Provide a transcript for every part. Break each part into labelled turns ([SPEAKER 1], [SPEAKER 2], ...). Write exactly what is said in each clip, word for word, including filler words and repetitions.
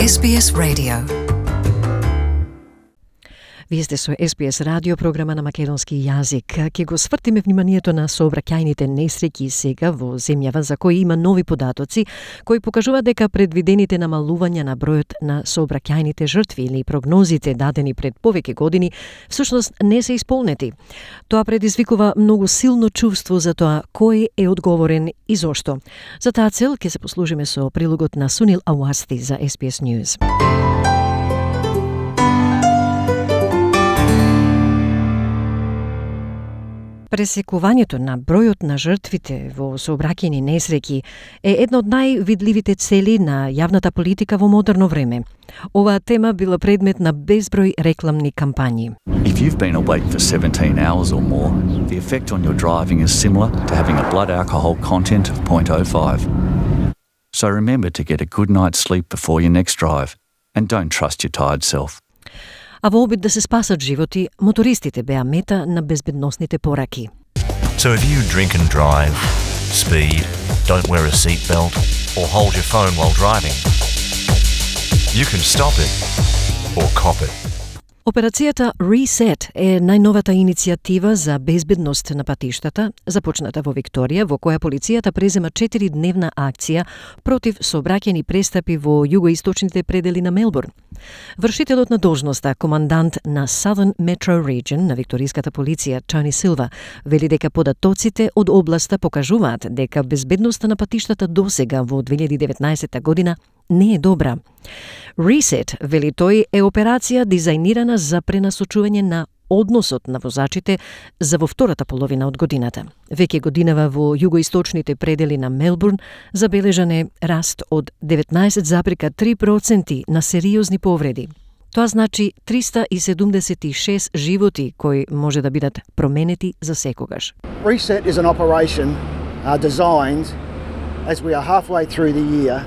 [SPEAKER 1] Ес Би Ес Radio. Вие сте со Ес Би Ес радио, програма на македонски јазик. Ке го свртиме вниманието на сообраќајните несреќи сега во земјава за кои има нови податоци кои покажуваат дека предвидените намалувања на бројот на сообраќајните жртви или прогнозите дадени пред повеќе години всушност не се исполнети. Тоа предизвикува многу силно чувство за тоа кој е одговорен и зошто. За таа цел ќе се послужиме со прилогот на Сунил Ауасти за Ес Би Ес News. Пресекувањето на бројот на жртвите во сообраќајни несреќи е една од највидливите цели на јавната политика во модерно време. Оваа тема била предмет на безброј рекламни кампањи.
[SPEAKER 2] If you've been awake for seventeen hours or more, the effect on your driving is similar to having a blood alcohol content of zero point zero five. So remember to get a good night's sleep before your next drive, and don't trust your tired self.
[SPEAKER 1] А во обид да се спасат животи, мотористите беа мета на безбедносните пораки.
[SPEAKER 3] So if you drink and drive, speed, don't wear a seatbelt, or hold your phone while driving, you can stop it or cop it.
[SPEAKER 1] Операцијата Reset е најновата иницијатива за безбедност на патиштата, започната во Викторија, во која полицијата презема четиридневна акција против сообраќајни престапи во југоисточните предели на Мелбурн. Вршителот на должноста, командант на Southern Metro Region на викториската полиција, Тони Силва, вели дека податоците од областа покажуваат дека безбедноста на патиштата досега во две илјади и деветнаесетта година не е добра. Reset, вели тој, е операција дизајнирана за пренасочување на односот на возачите за во втората половина од годината. Веќе годинава во југоисточните предели на Мелбурн забележан е раст од деветнаесет зарез три проценти на сериозни повреди. Тоа значи триста и седумдесет и шест животи кои може да бидат променети за секогаш.
[SPEAKER 4] Reset is an operation uh, designed as we are halfway through the year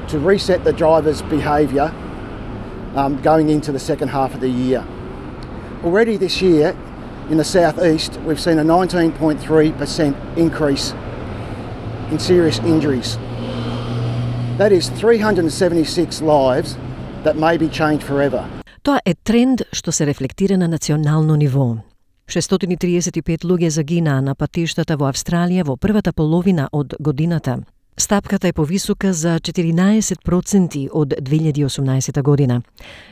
[SPEAKER 4] to reset the driver's behaviour um, going into the second half of the year. Already this year, in the southeast, we've seen a nineteen point three percent increase in serious injuries. That is three hundred seventy-six lives that may be changed forever.
[SPEAKER 1] Тоа е тренд што се рефлектира на национално ниво. шестстотини и триесет и пет луѓе загинаа на патиштата во Австралија во првата половина од годината. Стапката е повисока за четиринаесет проценти од две илјади и осумнаесетта година.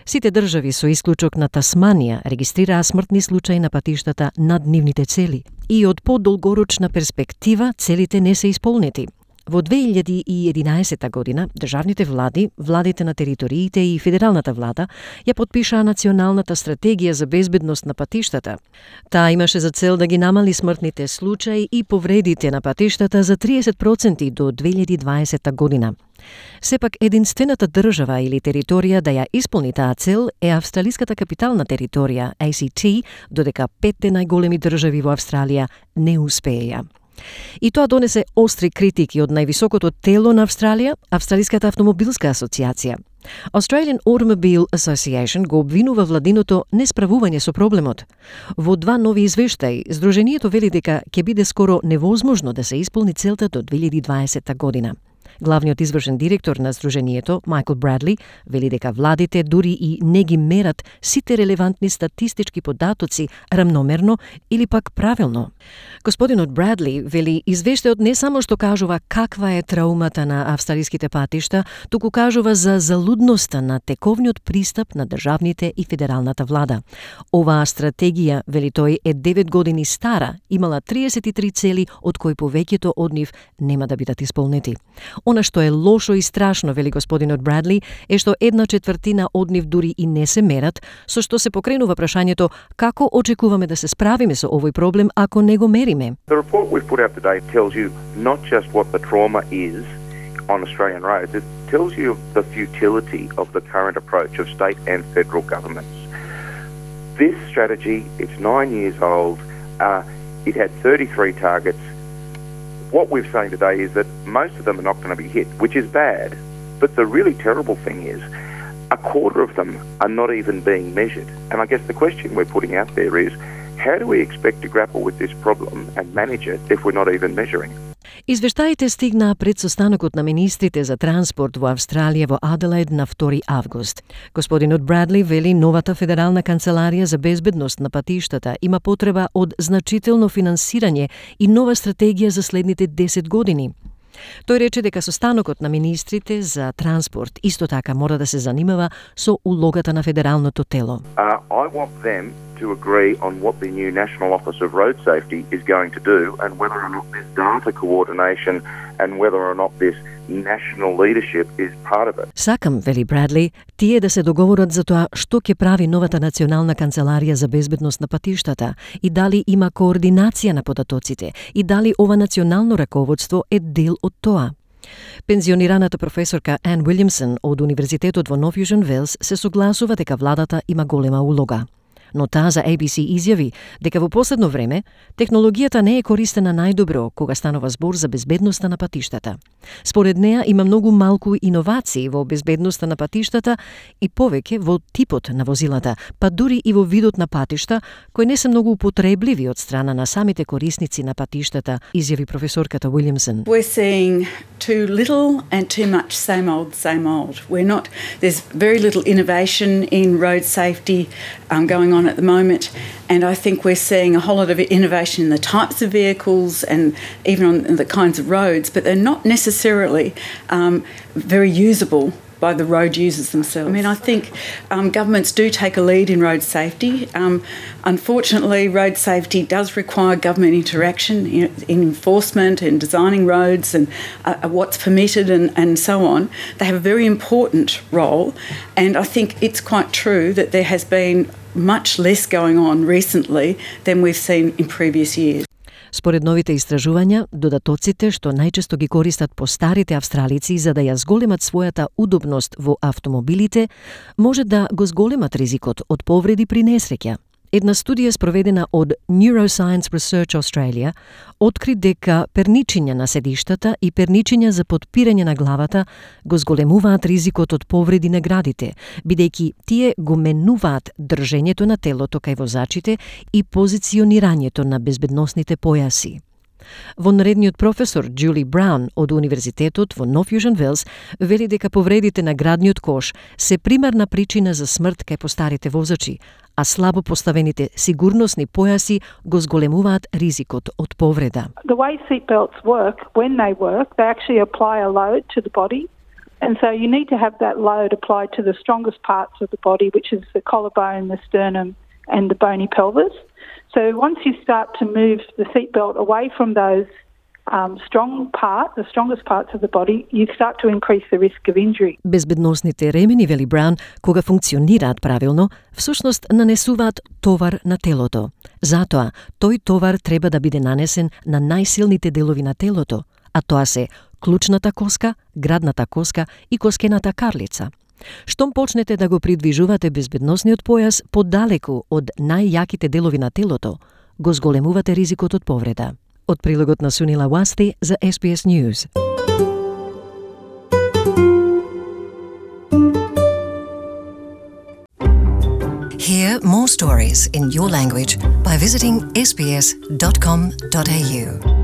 [SPEAKER 1] Сите држави со исклучок на Тасманија регистрираа смртни случаи на патиштата над нивните цели. И од подолгорочна перспектива целите не се исполнети. Во две илјади и единаесетта година државните влади, владите на териториите и федералната влада ја потпишаа националната стратегија за безбедност на патиштата. Таа имаше за цел да ги намали смртните случаи и повредите на патиштата за триесет проценти до две илјади и дваесетта година. Сепак единствената држава или територија да ја исполни таа цел е австралиската капитална територија, А Си Ти, додека петте најголеми држави во Австралија не успееја. И тоа донесе остри критики од највисокото тело на Австралија, Австралиската автомобилска асоциација. Australian Automobile Association го обвинува владиното несправување со проблемот. Во два нови извештаи, Сдруженијето вели дека ќе биде скоро невозможно да се исполни целта до две илјади и дваесетта година. Главниот извршен директор на Сдруженијето, Майкл Брадли, вели дека владите дури и не ги мерат сите релевантни статистички податоци рамномерно или пак правилно. Господинот Брадли вели извештајот не само што кажува каква е траумата на австралиските патишта, туку кажува за залудноста на тековниот пристап на државните и федералната влада. Оваа стратегија, вели тој, е девет години стара, имала триесет и три цели, од кои повеќето од нив нема да бидат исполнети. Она што е лошо и страшно, вели господинот Брадли, е што една четвртина од нив дури и не се мерат, со што се покренува прашањето како очекуваме да се справиме со овој проблем ако не го мериме.
[SPEAKER 5] The report we've put out today tells you not just what the trauma is on Australian roads, it tells you the futility of the current approach of state and federal governments. This strategy, it's nine years old, uh, it had thirty-three targets. What we're saying today is that most of them are not going to be hit, which is bad. But the really terrible thing is a quarter of them are not even being measured. And I guess the question we're putting out there is, how do we expect to grapple with this problem and manage it if we're not even measuring?
[SPEAKER 1] Извештаите стигнаа пред состанокот на министрите за транспорт во Австралија во Аделаид на втори август. Господинот Брадли вели новата федерална канцеларија за безбедност на патиштата има потреба од значително финансирање и нова стратегија за следните десет години. Тој рече дека состанокот на министрите за транспорт исто така мора да се занимава со улогата на федералното тело.
[SPEAKER 5] Uh, I want them to agree on what the new National Office of Road Safety is going to do and whether or not this data coordination and whether or not this national leadership is part of it.
[SPEAKER 1] Сакам, вели Брадли, тие да се договорат за тоа што ќе прави новата национална канцеларија за безбедност на патиштата и дали има координација на податоците и дали ова национално раководство е дел од тоа. Пензионираната професорка Ан Уилјамсон од Универзитетот во Нов Јужен Велс се согласува дека владата има голема улога. Но таа за A B C изјави дека во последно време технологијата не е користена најдобро кога станува збор за безбедноста на патиштата. Според неа има многу малку иновации во безбедноста на патиштата и повеќе во типот на возилата, па дури и во видот на патишта, кои не се многу употребливи од страна на самите корисници на патиштата, изјави професорката Уилјамсон.
[SPEAKER 6] We're seeing too little and too much same old, same old. We're not, there's very little innovation in road safety um, going on at the moment, and I think we're seeing a whole lot of innovation in the types of vehicles and even on the kinds of roads, but they're not necessarily um, very usable by the road users themselves. I mean, I think um, governments do take a lead in road safety. Um, unfortunately, road safety does require government interaction in, in enforcement and designing roads and uh, what's permitted and, and so on. They have a very important role, and I think it's quite true that there has been much less going on recently than we've seen in previous years.
[SPEAKER 1] Според новите истражувања, додатоците што најчесто ги користат постарите австралици за да ја зголемат својата удобност во автомобилите, може да го зголемат ризикот од повреди при несреќа. Една студија спроведена од Neuroscience Research Australia откри дека перничиња на седиштата и перничиња за подпирање на главата го зголемуваат ризикот од повреди на градите, бидејќи тие го менуваат држењето на телото кај возачите и позиционирањето на безбедносните појаси. Вонредниот професор Джули Браун од Универзитетот во Нов Јужен Велс вели дека повредите на градниот кош се примарна причина за смрт кај постарите возачи, а слабо поставените сигурносни појаси го зголемуваат ризикот од повреда.
[SPEAKER 7] The way seatbelts work, when they work, they actually apply a load to the body. And so you need to have that load applied to the strongest parts of the body, which is the collarbone, the sternum, and the bony pelvis. So once you start to move the seatbelt away from those um, strong part, the strongest parts of the body, you start to increase the risk of injury.
[SPEAKER 1] Безбедносните ремени, вели Браун, кога функционираат правилно, всушност нанесуваат товар на телото. Затоа, тој товар треба да биде нанесен на најсилните делови на телото, а тоа се клучната коска, градната коска и коскената карлица. Штом почнете да го придвижувате безбедносниот појас подалеку од најјаките делови на телото, го зголемувате ризикот од повреда. Од прилогот на Сунила Уасти за S B S News.
[SPEAKER 8] Hear more stories in your language by visiting s b s dot com dot a u.